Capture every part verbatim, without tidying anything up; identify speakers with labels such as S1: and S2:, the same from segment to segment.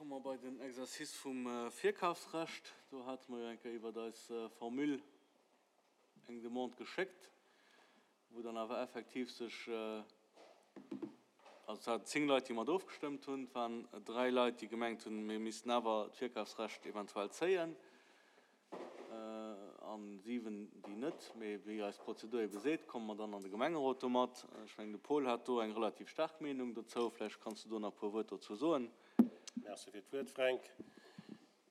S1: Komme mer bei den Exercice vum Virkafsrecht. Do hate mer jo eng Kéier iwwert eis Formule eng Demande geschéckt, wou dann awer effektiv sech, also et waren zéng Leit, déi mat ofgestëmmt hunn, et waren dräi Leit, déi gemengt hunn, mir missten awer d'Virkafsrecht eventuell zéien, a siwen, déi net. Mee wéi eis Prozedur ebe seet, komme mer dann an de Gemengerot domat. Ech mengen, de Paul hat do eng relativ staark Meenung dozou. Vläicht kanns du do nach e puer Wuert dozou soen.
S2: Merci fir d'Wuert, Fränk.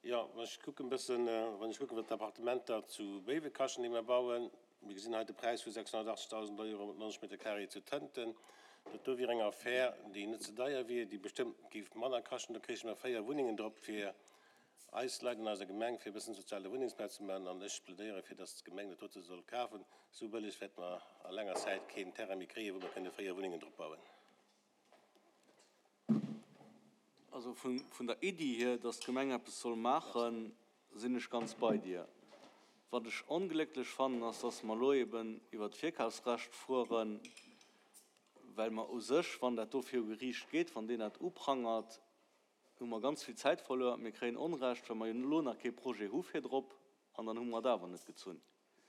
S2: Jo, wann ech kucken e bëssen, wann ech kucken, wat d'Appartementer zu Béiwe kaschten, déi mer bauen, mir gesinn hei de Präis vu sechshonnertachtzegdausend Euro op neunzeg Meter carré zu Tënten, dat do wier eng Affär, déi net ze deier wier, déi bestëmmt géif manner kaschten. Do kréiche mer véier Wunnengen drop fir eis Leit an eiser Gemeng, fir e bëssen soziale Wunnengsbau ze maachen. An ech plädéiere fir, dass d'Gemeng dat dote soll kafen. Esou bëlleg wäerte mer a laanger Zäit keen Terrain méi kréien, wou mer kënne véier Wunnengen drop bauen.
S1: Also vun der Iddi hier, dass d'Gemeng eppes soll maachen, sinn ech ganz bei dir. Wat ech onglécklech fannen, ass, dass mer elo eben iwwert d'Virkafsrecht fueren, well mer u sech, wann dat do viru Geriicht geet, wann deen dat uprangert, hu mer ganz vill Zäit verluer. Mir kréien Onrecht, well mer jo elo nach kee Projet hu virdrop, an dann hu mer et awer net gezunn.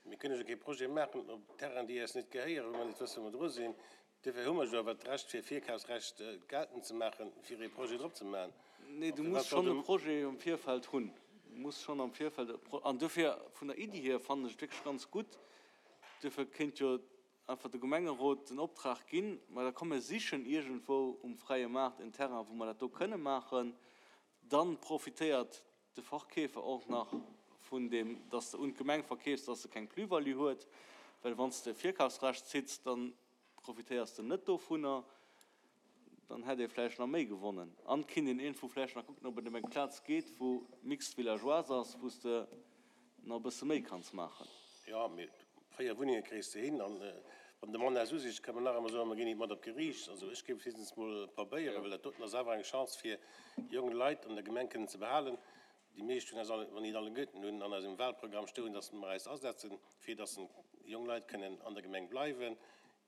S2: Mir kënne jo kee Projet maachen op Terrainen, déi eis net gehéieren, wou mer net wëssen, wou mer dru sinn. Duerfir hu mer jo awer d'Recht, fir Virkafsrecht geltend ze maachen, fir ee Projet drop ze maachen.
S1: Nee, du muss schonn e Projet am Virfeld hunn. Du muss schonn am Virfeld e Pro-, an duerfir, vun der Iddi hier, fannen ech et wierklech ganz gutt. Duerfir kéint jo einfach de Gemengerot den Optrag ginn, ma da komm mir sichen iergendwou um fräie Maart en Terrain, wou mer dat do kënne maachen. Dann profitéiert de Verkeefer och nach vun deem, dass de un d'Gemeng verkeefs, dass e keng Plus-value huet, well wann s de e Virkafsrecht zitts, da profitéiers de net dovunner. Dann hätt ee vläicht nach méi gewonnen. An et kinnt een iergendwou vläicht nach kucken, ob et ëm eng Plaz geet, wou mixte villageoise ass, wou s de nach e bësse méi kanns maachen.
S2: Jo, mee véier Wunnenge kréis de hin. An wann de Mann eis usicht, ka mer nach ëmmer soen, mer ginn nit mat op d'Geriicht. Also ech géif et héchstens mol probéieren, well dat doten ass awer eng Chance fir jonk Leit an der Gemeng kënnen ze behalen. Déi meescht hunn eis alle, wann nit alleguerten, hunn an eisem Wahlprogramm stoen, dass mer eis asetzen, fir dass jonk Leit kënnen an der Gemeng bleiwen,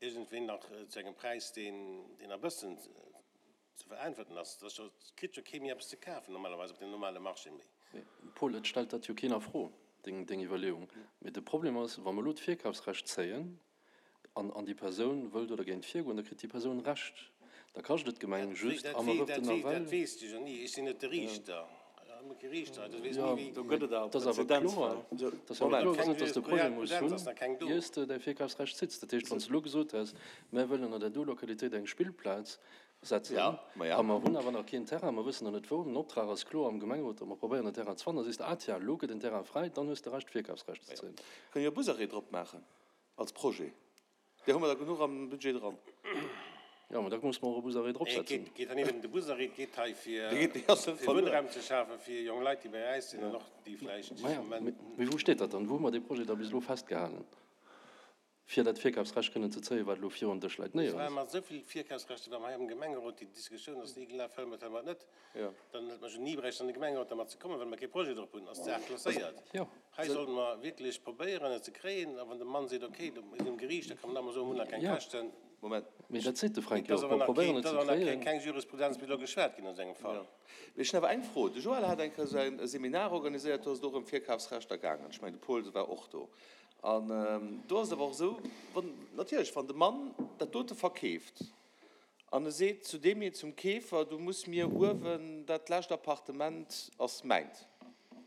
S2: iergendwéi nach zu engem Präis, deen, deen e bëssen ze veräntwerten ass. Et ass jo, et kritt jo kee méi eppes ze kafen normalerweis op dem normale Marché méi.
S3: Mee Paul, et stellt dat jo keen a Fro, deng, deng Iwwerleeung. Mee de Problem ass, wa mer elo d'Virkafsrecht zéien, an an déi Persoun wëll do dergéint virgoen, da kritt déi Persoun Recht. Da kascht et d'Gemeng just a mer wërten nawell.
S2: Dat weess de jo ni. Ech sinn net de Riichter.
S3: Jo, et ass awer kloer, et ass awer kloer gesot, datt de Projet muss hunn, ier s de däi Virkafsrecht zitts. Dat heescht, wann s de elo gesot häss, mär wëllen an där do Lokalitéit eng Spillplaz setzen a mer hunn awer nach keen Terrain, mer wëssen nach net wou, den Optrag ass kloer am Gemengerot, datt mer probéieren en Terrain ze fannen, da sees de, ah tiens, elo gëtt en Terrain fräi, dann hues de Recht d'Virkafsrecht ze zéien.
S4: Kënne jo e Busarrêt drop maachen als Projet. Där hu mer der genuch am Budget dran.
S3: Jo, mä da musse mer och e Busarrêt dropsetzen.
S2: Et geet hei net ëm de Busarrêt, et geet hei fir Wunnraum ze schafen fir jonk Leit, déi bei äis sinn an och déi vläicht
S3: am Moment. Mee wou steet dat dann? Wou hu mer dee Projet da bis elo festgehalen, fir dat Virkafsrecht kënnen ze zéien, wat elo virun Dësch läit?
S2: Et
S3: Néierens.
S2: ware mer esou vill Virkafsrechter war mer hei am Gemengerot, déi Diskussioun ass ni gelaf, wëlle mer et, wëlle mer et net. Dann hätt mer jo ni bräichten an de Gemengerot dermat ze kommen, well mer kee Projet drop hunn, ass d'Saach klasséiert. Hei sollte mer wierklech probéieren, et ze kréien. A wann de Mann seet, okay, do mir sinn um Geriicht, da kann man nach emol soen, mir hunn nach keng Käschten.
S4: Moment.
S3: Mee dat seet de Fränk
S2: Et
S3: jo
S2: ass
S3: och,
S2: awer
S3: mer
S2: nach
S3: probéieren
S2: keen,
S3: et
S2: et
S3: ze
S2: ass awer nach
S3: kréien.
S2: keng Jurisprudenz bis elo geschwat ginn an esou engem Fall.
S4: Mee ech hunn awer eng Fro. De Joël hat eng Kéier esou e Seminar organiséiert, do ass et och ëm Virkafsrechter gaangen. Ech mengen, de Paul war och do. An do ass et awer och esou, wann, natierlech, wann de Mann dat dote verkeeft, An e seet zu deem, zum Keefer, Du muss mir uewen, dat lescht Appartement ass mäint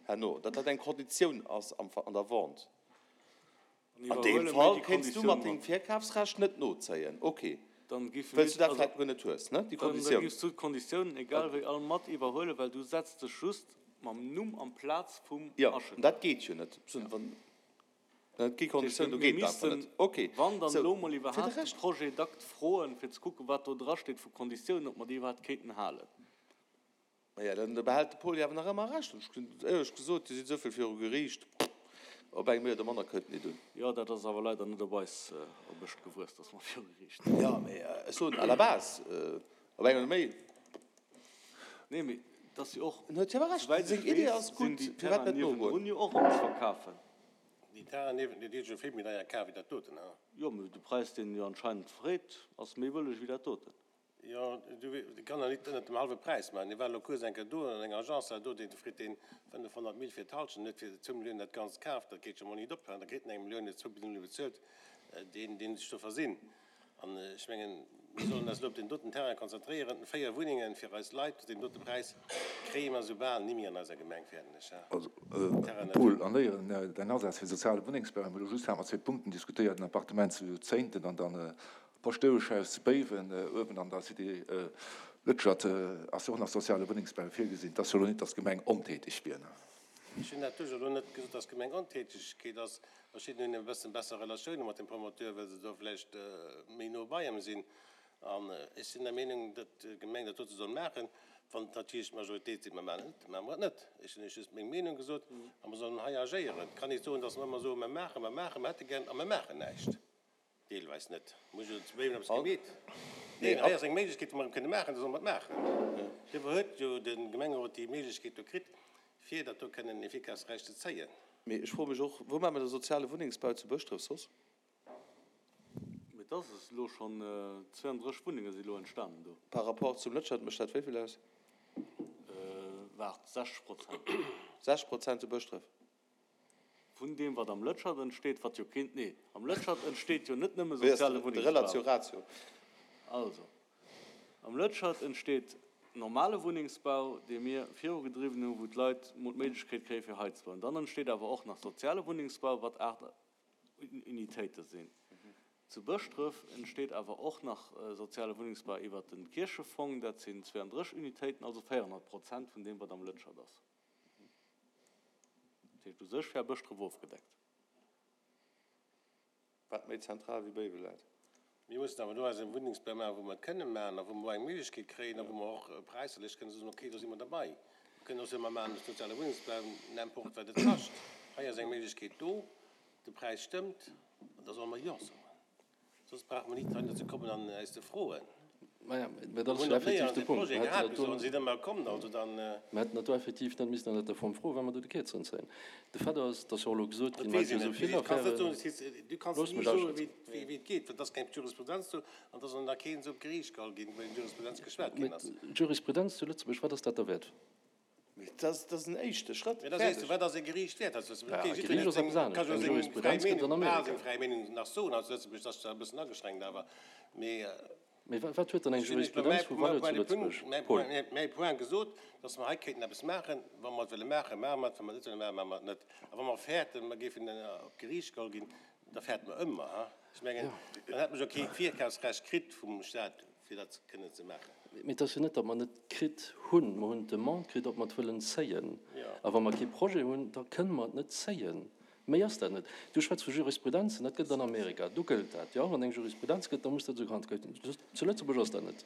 S4: herno, datt dat eng Konditioun ass an der Vente. An deem Fall kéints du mat dengem Virkafsrecht net nozéien, ok, well s du dat vläicht guer net hues, ne, déi Konditioun.
S1: Da giffs du d'Konditiounen egal wéi all mat iwwerhuelen, well du setz dech just mam Numm amplaz vum
S4: Jo,
S1: Acheter.
S4: an dat geet jo net. Et gi Konditiounen, do
S1: Mir
S4: geet et einfach
S1: missten,
S4: net. Ok,
S1: wann dann
S4: sou,
S1: elo mol
S4: fir de
S1: iwwerhaapt de
S4: Rescht.
S1: Projet d'acte froen, fir ze kucken, wat do drasteet vu Konditiounen, ob mer déi iwwerhaapt kéinten halen.
S4: Maja, dann behält de Paul jo awer nach ëmmer Recht. Ech hunn éierlech gesot, Dir sidd esou vill viru Geriicht, op eng méi oder manner kënnt nit un.
S1: Jo, dat ass awer leider net op eis op Ech gewuess, dass mer viru Geriicht sinn.
S4: Jo, mee ech soen à la base, op eng oder méi.
S1: Nee, mee et ass jo och,
S4: En huet jo awer Recht,
S1: souwäit
S4: seng
S1: ech
S4: Idee
S1: weess,
S4: ass
S1: sinn
S4: gutt,
S1: déi
S4: firwat
S1: Terrainen
S4: net nogoen?
S1: niewendrun jo och erëm ze verkafen.
S2: Déi Terrainen niewent, déi si jo vill méi deier kaf wéi dat doten, ha?
S1: Jo, mee de Präis, deen en jo anscheinend freet, ass méi bëlleg wéi dat doten.
S2: Jo, du kann der nit ënnert dem hallwe Präis maachen. Hie war elo kuerz eng Kéier do an enger Agence do, dee freet deen fënnefhonnert Mille fir d'Halschent, net fir zwou Milliounen dat Ganzt kaaft. Dat geet scho mol nit op. Da kritt en eng Millioun, huet zwou Millioune bezuelt, deen, deen sech do versinn. An ech mengen, mir sollen eis elo op deen doten Terrain konzentréieren. Véier Wunnengen fir eis Leit zu deem dote Präis kréie mer esou bal ni méi an eiser Gemeng, fäerten ech.
S5: Also, Paul, an éieren däin Asaz fir soziale Wunnengsbau, hu mir elo just hat mer zwee Punkten diskutéiert, den Appartement zu Zéinten an dann Paschtoueschhaus zu Béiwen, uewen an der Cité Lëtschert ass jo och nach soziale Wunnengsbau virgesinn. Et ass jo elo net, datt d'Gemeng ontäteg wier.
S2: Ech hunn dat duerch elo net gesot, datt d'Gemeng Ontätegkeet ass. Verschidden hunn e bëssen besser Relatioune mat dem Promoteur, well se do vläicht méi no bei em sinn. An ech sinn der Meenung, datt d'Gemeng dat dote soll maachen. Wann natierlech d'Majoritéit seet, mer maachen et net, da maache mer et net. Ech hunn Iech just meng Meenung gesot a mer sollen hei agéieren. Et kann ee soen, datt mer ëmmer soen, mer maachen, mer maachen, mer hätte gären a mer maachen näischt. Deelweis net. Muss jo zu Béiwen eppes gemeet. Neen, hei ass eng Méiglechkeet, wou mer et kënne maachen, da solle mer et maachen. Duerfir huet jo de Gemengerot déi Méiglechkeet do kritt, fir dat do kënnen efficace eräich ze zéien.
S4: Mee ech froe mech och, Wou maache mer de soziale Wunnengsbau zu Bëschdref soss?
S1: Mee et ass es elo schonn, zweiunddrësseg Wunnenge si elo entstanen do.
S4: Par rapport zum Lëtschert mécht dat wéi vill aus?
S1: Waart, sechzeg Prozent.
S4: Sechzeg Prozent zu Bëschdref?
S1: Vun deem, wat am Lëtschert entsteet, wat jo keen, nee, am Lëtschert entsteet jo net nëmme soziale
S4: Wéi ass de Relatio
S1: Wunnengsbau.
S4: Ratio?
S1: Also, am Lëtschert entsteet normale Wunnengsbau, dee mir virugedriwwen hunn, wou d'Leit mol d'Méiglechkeet kréie fir hei ze bauen. Dann entsteet awer och nach soziale Wunnengsbau, wat aacht Unitéite sinn. Zu Bëschdref entsteet awer och nach soziale Wunnengsbau iwwert de Kierchefong, dat sinn zweiunddrësseg Unitéiten, also véierhonnert Prozent vun deem, wat am Lëtschert ass. Dat heescht, u sech wär Bëschdref ofgedeckt.
S4: Wat méi zentral wéi Béiwe läit.
S2: Mir mussen awer do eis e Wunnengsbau maachen, wou mer et kënne maachen a wou mer och eng Méiglechkeet kréien a wou mer och präisserlech kënne soen, okay, do si mer derbei. Mir kënnen och soen, mer maachen de soziale Wunnengsbau, n'importe wat et kascht. Hei ass eng Méiglechkeet do, de Präis stëmmt, an da solle mer Jo soen. Soss brauche mer nit heihinner ze kommen an äis ze froen.
S3: Maja, mä dat
S2: Mir
S3: ass
S2: hunn
S3: jo
S2: och
S3: effektiv
S2: néierens
S3: de
S2: e
S3: Punkt.
S2: Projet
S3: Mer hätten
S2: gehat
S3: dat
S2: bis
S3: do
S2: elo, sinn ëmmer komm. Also dann.
S3: Mer hätten dat do effektiv net missen ënnert der Form froen, well mer do de Kierzen zéien. De Fait ass, dass jo och elo gesot
S2: Dat
S3: ginn, mer
S2: weess
S3: hätten
S2: een
S3: jo
S2: net.
S3: esou vill
S2: Du kanns net soen,
S3: Affären.
S2: du kanns
S3: Loosst
S2: ni
S3: mech
S2: soen,
S3: ausschwätzen.
S2: wéi et geet, well et ass keng Jurisprudenz do an et ass och nach keen esou op d'Geriicht geholl ginn, wou eng Jurisprudenz geschwat
S3: Mä
S2: ginn ass.
S3: d'Jurisprudenz zu Lëtzebuerg, wat ass dat derwäert?
S4: Mee dat ass, dat ass en éischte Schrëtt.
S2: Mee da sees du,
S4: Fäerdeg.
S2: wat ass e Geriicht wäert? Also,
S3: Ja,
S2: okay,
S3: e
S2: jiddwereen
S3: Geriicht
S2: huet
S3: ass
S2: seng,
S3: eppes anescht.
S2: ka jo
S3: Eng
S2: seng fräi
S3: Jurisprudenz gëtt an
S2: Meenung, bal
S3: Amerika.
S2: seng fräi Meenung nach soen. Also Lëtzebuerg ass zwar e bëssen ageschränkt, awer mee.
S3: Mee wat huet dann eng
S2: Ech hunn lech elo
S3: Jurisprudenz vu
S2: mäi,
S3: Valeur zu
S2: mäi
S3: Lëtzebuerg,
S2: Punkt, mäi,
S3: Paul?
S2: mäi, mäi Point gesot, dass mer hei kéinten eppes maachen. Wa mer et wëlle maachen, maache mer et, wa mer et net wëlle maachen, maache mer et net. A wa mer fäerten, mer géifen op d'Geriicht geholl ginn, da fäerte mer ëmmer, ha? Ech mengen, dann hätte mer jo kee Virkafsrecht kritt vum Stat, fir dat kënnen ze maachen.
S3: Mee et ass jo net, datt mer net kritt hunn. Mer hunn d'Demande kritt, ob mer et wëllen zéien.
S2: Jo.
S3: A wa mer kee Projet hunn, da kënne mer et net zéien. Méi ass dat net. Du schwätz vu Jurisprudenzen, dat gëtt et an Amerika, do gëllt dat. Jo, wann eng Jurisprudenz gëtt, da muss dat esou gehandhabt ginn. Zu Lëtzebuerg ass dat net.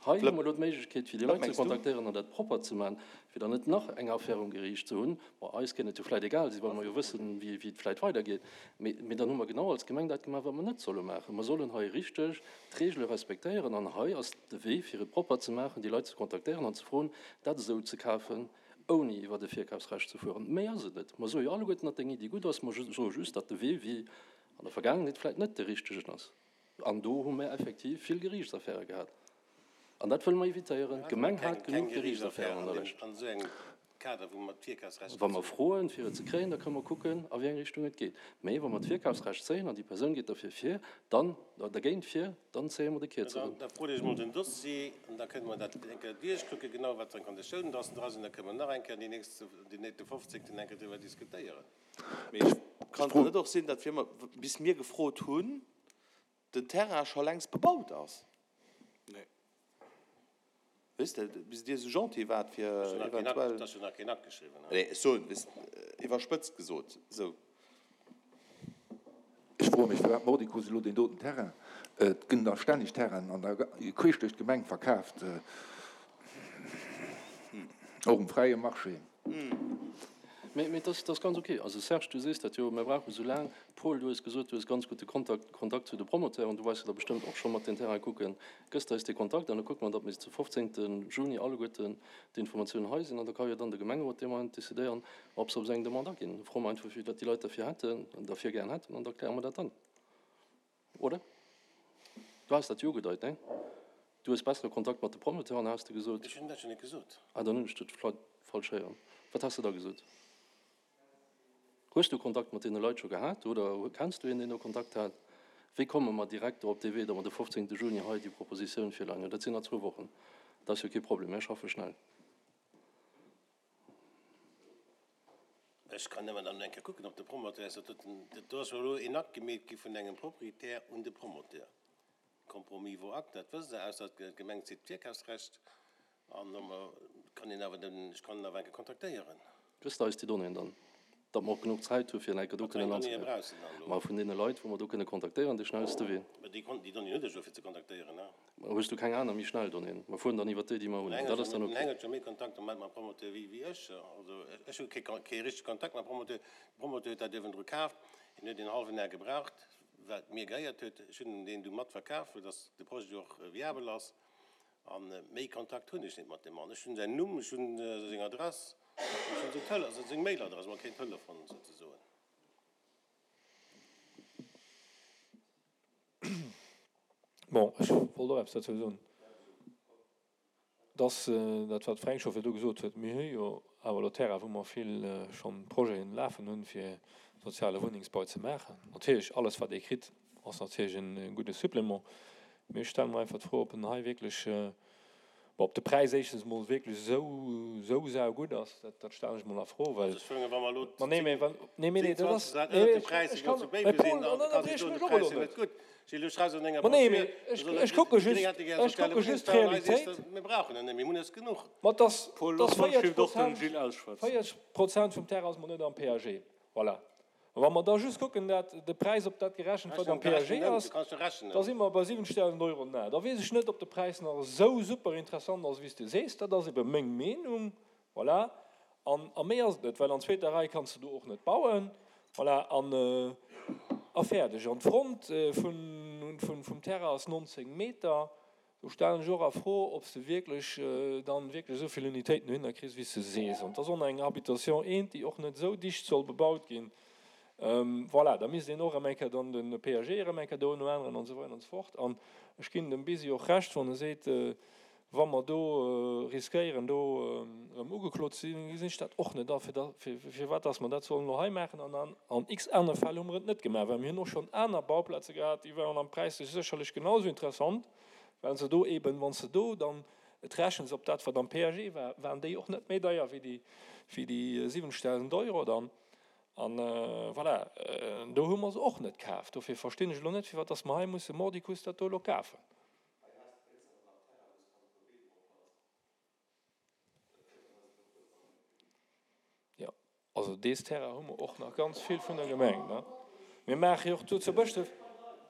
S3: Hei hu
S4: Flëpp,
S3: mer elo d'Méiglechkeet, fir déi
S4: wat
S3: Leit ze
S4: mengs du?
S3: kontaktéieren an dat propper ze maachen, fir dann net nach eng Affär um Geriicht ze hunn. Bon, eis kéint et jo vläicht egal sinn, well mer jo wëssen, wéi, wéi et vläicht weidergeet. Mee, mee dann hu mer genau als Gemeng dat gemaach, wat mer net solle maachen. Mer sollen hei richteg d'Regele respektéieren an hei ass de Wee, fir et propper ze maachen, déi Leit ze kontaktéieren an ze froen, dat esou ze kafen, ouni iwwert e Virkafsrecht ze fueren. Méi ass et net. Mer soe jo alleguerten, datt deng Iddi gutt ass, mer soe just, datt de Wee wéi an der Vergaangenheet vläicht net de richtegen ass. An do hu mer effektiv vill Geriichtsaffäre gehat. An dat wëlle mer evitéieren.
S2: Mir haten
S3: D'Gemeng
S2: keng,
S3: hat
S2: keng
S3: genuch
S2: Geriichtsaffär
S3: Geriichtsaffären an
S2: an
S3: der
S2: deem,
S3: Lescht.
S2: an esou engem Kader, wou mer d'Virkafsrecht
S3: Wa mer
S2: gezunn hunn.
S3: froen, fir et ze kréien, da kënne mer kucken, a wéi eng Richtung et geet. Mee wa mer d'Virkafsrecht zéien an déi Persoun geet derfir vir, dann, dergéint vir, dann zéie mer de
S2: Dann,
S3: Kierzeren.
S2: da frot Iech emol den Dossier an da kënne mer dat eng Kéier duerchkucken, genau wat fir eng Konditiounen dass dra sinn. Da kënne mer nach eng Kéier déi nächst, déi nächste fofzéngten eng Kéier driwwer diskutéieren.
S4: Mee
S5: Ech
S4: kann et
S5: fro.
S4: net och sinn, datt wir mer, bis mir gefrot hunn, den Terrain scho längst bebaut ass?
S1: Nee.
S4: Weess de, bis Dir esou gentil waart, fir
S2: Ech hunn nach keen Akt,
S4: eventuell.
S2: ech hunn nach keen Akt geschriwwen.
S4: Nee, ech soen, weess, iwwerspëtzt gesot, esou.
S5: Ech froe mech, firwat mordicus elo deen doten Terrain? Et ginn da stänneg Terrainen an der, queesch duerch d'Gemeng verkaaft, och um fräie Marché.
S3: Mee, mee dat ass ganz ok. Also Serge, du sees dat jo, mir brauche sou laang. Paul, du hues gesot, du hues ganz gute Kontakt, Kontakt zu de Promoteuren, du weess jo da bestëmmt och scho mat den Terrain kucken. Gëss eis de Kontakt an da kucke mer, datt mir zu fofzéngte Juni alleguerten d'Informatiounen hei sinn an da ka jo dann de Gemengerot dee Moment decidéieren, ob se op seng Demande aginn. Da froe mer einfach, wéi dat déi Leit derfir hätten, derfir gären hätten an da kläre mer dat dann. Oder? Du has dat jo ugedeit, ne? Du hues bessere Kontakt mat de Promoteuren, has de gesot.
S2: Ech hunn dat jo net gesot.
S3: Ah, dann hunn ech dat vläicht falsch héieren. Wat has de da gesot? Hues du Kontakt mat deene Leit scho gehat oder kenns du een, deen do Kontakt hat? Wéi komme mer direkt do op dee Wee, datt mer de fofzéngte Juni hei déi Propositioun virleien hunn? Dat sinn nach zwou Wochen. Dat ass jo kee Problem, mir schaffe schnell.
S2: Ech kann nëmmen dann eng Kéier kucken, ob de Promoteur ass. Dat do ass jo elo een Akt gemeet gi vun engem Proprietär un de Promoteur. Compromis vaut acte, dat wësst Der, ausser d'Gemeng zitt d'Virkafsrecht an da kann een awer den, ech kann en awer eng Kéier kontaktéieren.
S3: Gëss de eis déi Donnéeën dann, datt mer och genuch Zäit hu fir eng Kéier do
S2: Wat fir
S3: kënnen
S2: eng Donnéeë
S3: anzegräifen?
S2: brauchs de dann elo?
S3: Ma vun deene Leit, wou mer do kënne kontaktéieren, dee schnellste Wee.
S2: Mä déi Kon-, déi Donnéeën hutt Dir jo fir ze kontaktéieren, ne?
S3: Ma hues du keng aner méi schnell Donnéeën? Mer fueren dann iwwert déi, déi mer hunn.
S2: Den
S3: Dat ass dann
S2: Den
S3: ok.
S2: Heng huet jo méi Kontakt am Moment mam Promoteur wéi, wéi ech. Also ech hu kee Kon-, kee richtege Kontakt mam Promoteur. De Promoteur huet dat iergendru kaaft, hien huet een hallwen Ar gebraucht, wat mir gehéiert huet. Ech hunn deen du mat verkaf, fir datt de Projet och viabel ass. A méi Kontakt hunn ech net mat deem Mann. Ech hunn säin Numm, ech hunn seng Adress, ech hunn seng Tele-, also seng Mailadress, ma keen Telefon souzesoen.
S6: Bon, ech wollt och eppes dozou soen, dass dat, wat d'Fränk scho virdu gesot huet, mir hu jo awer elo Terrain, wou mer vill schonn Projeten lafen hunn, fir soziale Wunnengsbau ze maachen. Natierlech, alles, wat ee kritt, ass natierlech e gudde Supplément. Mee ech stelle mer einfach d'Fro, ob en hei wierklech, bon, ob de Präis éischtens emol wierklech esou, esou saugutt ass, dat, dat stellen ech emol a Fro, well.
S2: Also ech mengen, wa mer elo
S6: Ma nee, mee wann, nee, mee nee, dat ass,
S2: zéng, zwanzeg
S6: nee,
S2: ënnert dem
S6: ech,
S2: Präis
S6: ech kann,
S2: zu
S6: mee
S2: Béiwe
S6: Paul,
S2: sinn, dann
S6: dann
S2: kann ech
S6: ënnerbriech
S2: soen,
S6: mech
S2: de
S6: och
S2: Präis
S6: elo
S2: ass
S6: net.
S2: net gutt. Gilles, du schreifs an denger
S6: Ma nee, mee
S2: Broschür,
S6: ech,
S2: soll
S6: ech kucke
S2: déi
S6: just,
S2: Gréng hätte gär
S6: ech
S2: soziale
S6: kucke just
S2: Wunnengsbau, an hei sees
S6: d'Realitéit.
S2: de, mir brauchen en net méi, mir hunn es genuch.
S6: Ma dass,
S1: Paul,
S6: dass
S1: looss mol
S6: véierzeg
S1: Gilles och den
S6: Prozent,
S1: Gilles ausschwätzen.
S6: véierzeg Prozent vum Terrain ass mol net am P A G. Voilà. A wa mer da just kucken, dat de Präis op dat gerechent, wat am P A G ass, da si mer bei siwwenzegdausend Euro den Ar. Da weess ech net, ob de Präis nach esou super interessant ass, wéi s de sees. Dat ass ebe meng Meenung. Voilà. An, a méi ass et net, well an zweeter Rei kanns de do och net bauen. Voilà. An, a fäerdeg. An d'Front vun, vun, vum Terrain ass nonzéng Meter. Do stellen ech och a Fro, ob s de wierklech dann wierklech esou vill Unitéiten dohinner kriss, wéi s de sees. An et ass och nach eng Habitation eent, déi och net esou dicht soll bebaut ginn. Voilà, da misst een och erëm eng Kéier dann de P A G erëm eng Kéier do änneren an esou weider an esou fort. An ech ginn dem Bisi och Recht, wann e seet, wa mer do riskéieren, do erëm ugeklot ze sinn, gesinn ech dat och net a, firwat dass mer dat sollen elo hei maachen. An an x anere Fäll hu mer et net gemaach, well mir hunn och schonn aner Bauplaze gehat, déi waren am präislech sécherlech genau esou interessant, well se do eben, wann s de do dann et rechens op dat, wat am P A G war, waren déi och net méi deier wéi déi, wéi déi siwwenzegdausend Euro dann. An voilà, do hu mer se och net kaf. Dofir verstinn ech elo net, firwat dass mer hei musse mordicus dat do elo kafen. Jo, also dees Terrain hu mer och nach ganz vill vun der Gemeng, ne? Mir maache jo och do zu Bëschdref,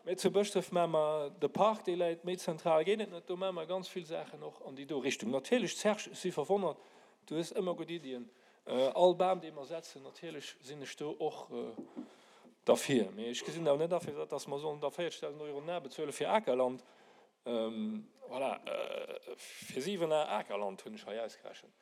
S6: mä zu Bëschdref maache mer de Park, dee läit méi zentral, geet et net, do maache mer ganz vill Saachen och an déi do Richtung. Natierlech, Serge, ech si verwonnert, du hues ëmmer gutt Iddien. All Bam, dee mer setzen, natierlech sinn ech do och derfir. Mee ech gesinn awer net a firwat dass mer sollen da véierzegdausend Euro den Ar bezuele fir Akerland. Voilà, fir siwen Ar Akerland hunn ech hei ausgerechent.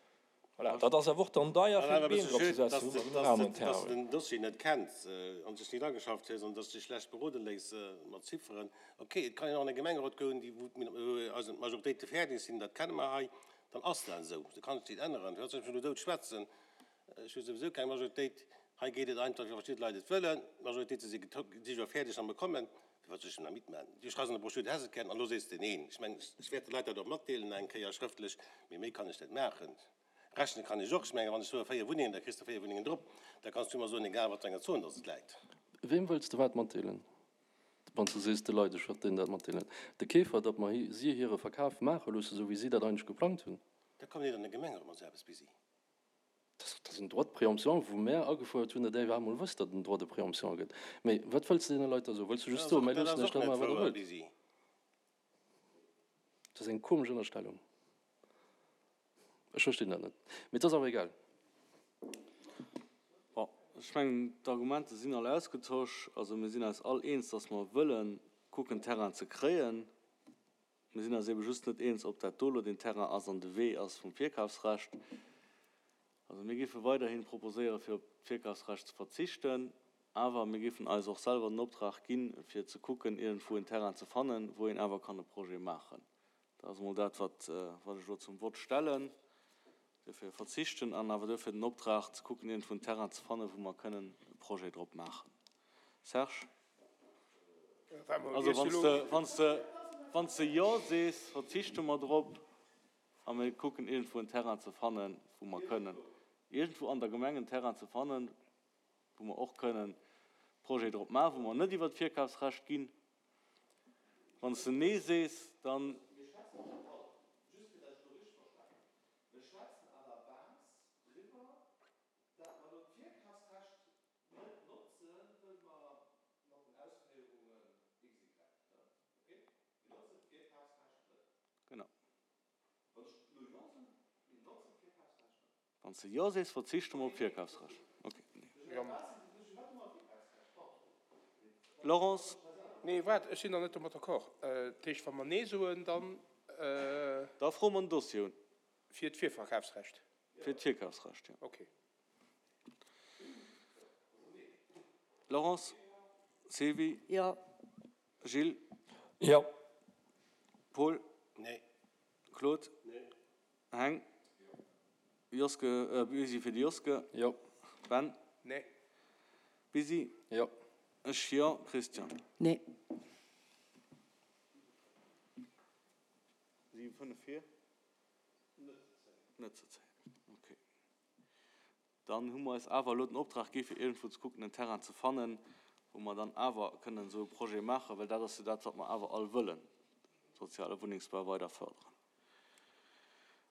S6: Voilà, dat ass awer och dann deier fir
S2: Awer e
S6: Beem
S2: bësse
S6: drop ze
S2: schued, dass
S6: setzen,
S2: de,
S6: wou mer genuch
S2: dass
S6: aneren
S2: de, dass
S6: Terrain
S2: de
S6: hunn.
S2: den Dossier net kenns an dech net ageschafft hues an dass de dech schlecht berode léiss mat Zifferen. Okay, et kann een och an e Gemengerot goen, déi, wou d'Min-, also d'Majoritéite fäerdeg sinn, dat kenne mer hei, dann ass dat esou. Du kanns et nit änneren. Du sollst mech elo dout schwätzen. Ech hu souwisou keng Majoritéit. Hei geet et einfach, wéi verschidde Leit et wëllen. D'Majoritéite si geto-, si jo fäerdeg an bekommen. Firwat soll ech denn da mitmachen? Du schreifs an der Broschür, du häss et gären, an elo sees de neen. Ech mengen, ech wäert de Leit dat och matdeelen eng Kéier schrëftlech, mee méi kann ech net maachen. Rechne kann ech och. Ech mengen, wann ech soe véier Wunnengen, da kriss de véier Wunnengen drop. Da kanns du mer soen, egal wat fir enger Zon dass et läit.
S3: Weem wëlls de wat matdeelen, wann s de sees, de Leit, ech wäert deenen dat matdeelen? De Keefer, datt mer si hire Verkaf maache loosse, esou wéi si dat eigentlech geplangt hunn?
S2: Da komm net an de Gemengerot mat esou eppes, Bisi.
S3: Dat ass en Droit de préemption, wou mär agefuerdert hunn, datt Dir emol wësst, datt et en Droit de préemption gëtt. Mee wat wëlls de deene Leit da soen? Wëlls de
S2: Dat
S3: just
S2: ass
S3: soen,
S2: och,
S3: Mär
S2: dat
S3: loossen
S2: ass
S3: Iech
S2: och
S3: dat
S2: net
S3: maachen, wat Der
S2: wouer,
S3: wëllt?
S2: Bisi.
S3: Dat ass eng komesch Ënnerstellung. Ech verstinn dat net. Mee et ass awer egal.
S1: Bon, ech mengen, d'Argumenter sinn all ausgetosch. Also mir sinn eis all eens, datt mer wëllen kucken, Terrain ze kréien. Mir sinn eis ebe just net eens, ob dat do elo deen Terrain ass an de Wee ass vum Virkafsrecht. Also mir géife weiderhin proposéieren, fir op d'Virkafsrecht ze verzichten, awer mir géifen eis och selwer den Optrag ginn, fir ze kucken, iergendwou en Terrain ze fannen, wou een awer kann e Projet maachen. Dat ass emol dat, wat wat ech elo zum Vott stellen. Duerfir verzichten an awer duerfir den Optrag ze kucken, iergendwou en Terrain ze fannen, wou mer kënnen e Projet drop maachen. Serge? Also wann s de, wann s de, wann s de Jo sees, verzichte mer drop a mir kucken iergendwou en Terrain ze fannen, wou mer kënnen, iergendwou an der Gemeng en Terrain ze fannen, wou mer och kënnen Projet drop maachen, wou mer net iwwert d'Virkafsrecht ginn. Wann s de Nee sees, dann.
S4: Mir schwätzen net all, just fir dat ech elo richteg verstanen, mir schwätzen à la base driwwer, dat mer elo d'Virkafsrecht net notzen, wëll mer mat den Ausféierungen XY, ne? Okay? Mir notzen d'Virkafsrecht net.
S1: Genau.
S4: Wann ech elo Jo soen, mir notzen d'Virkafsrecht net.
S1: Wann s de Jo sees, verzichte mer op d'Virkafsrecht. Okay. Laurence?
S7: Nee, waart, ech sinn nach net domat d'accord. Dat heescht, wa mer Nee soen, dann.
S1: Da froe mer en Dossier un.
S7: Fir d'Virverkafsrecht?
S1: Fir d'Virkafsrecht, jo.
S7: Okay.
S1: Laurence? Sylvie?
S8: Jo.
S1: Gilles?
S6: Jo.
S1: Paul?
S2: Nee.
S1: Claude?
S2: Nee.
S1: Heng? Joske, äh, Busy fir de Joske.
S3: Jo.
S1: Ben?
S7: Nee.
S1: Busy?
S3: Jo.
S1: Ech jo. Christian?
S8: Nee.
S1: Siwe fënnef fir? Net ze zéien. Okay. Dann hu mer eis awer elo den Optrag gi fir iergendwou ze kucken en Terrain ze fannen, wou mer dann awer kënnen esou e Projet maachen, well dat ass jo dat, wat mer awer all wëllen, soziale Wunnengsbau weider fërderen.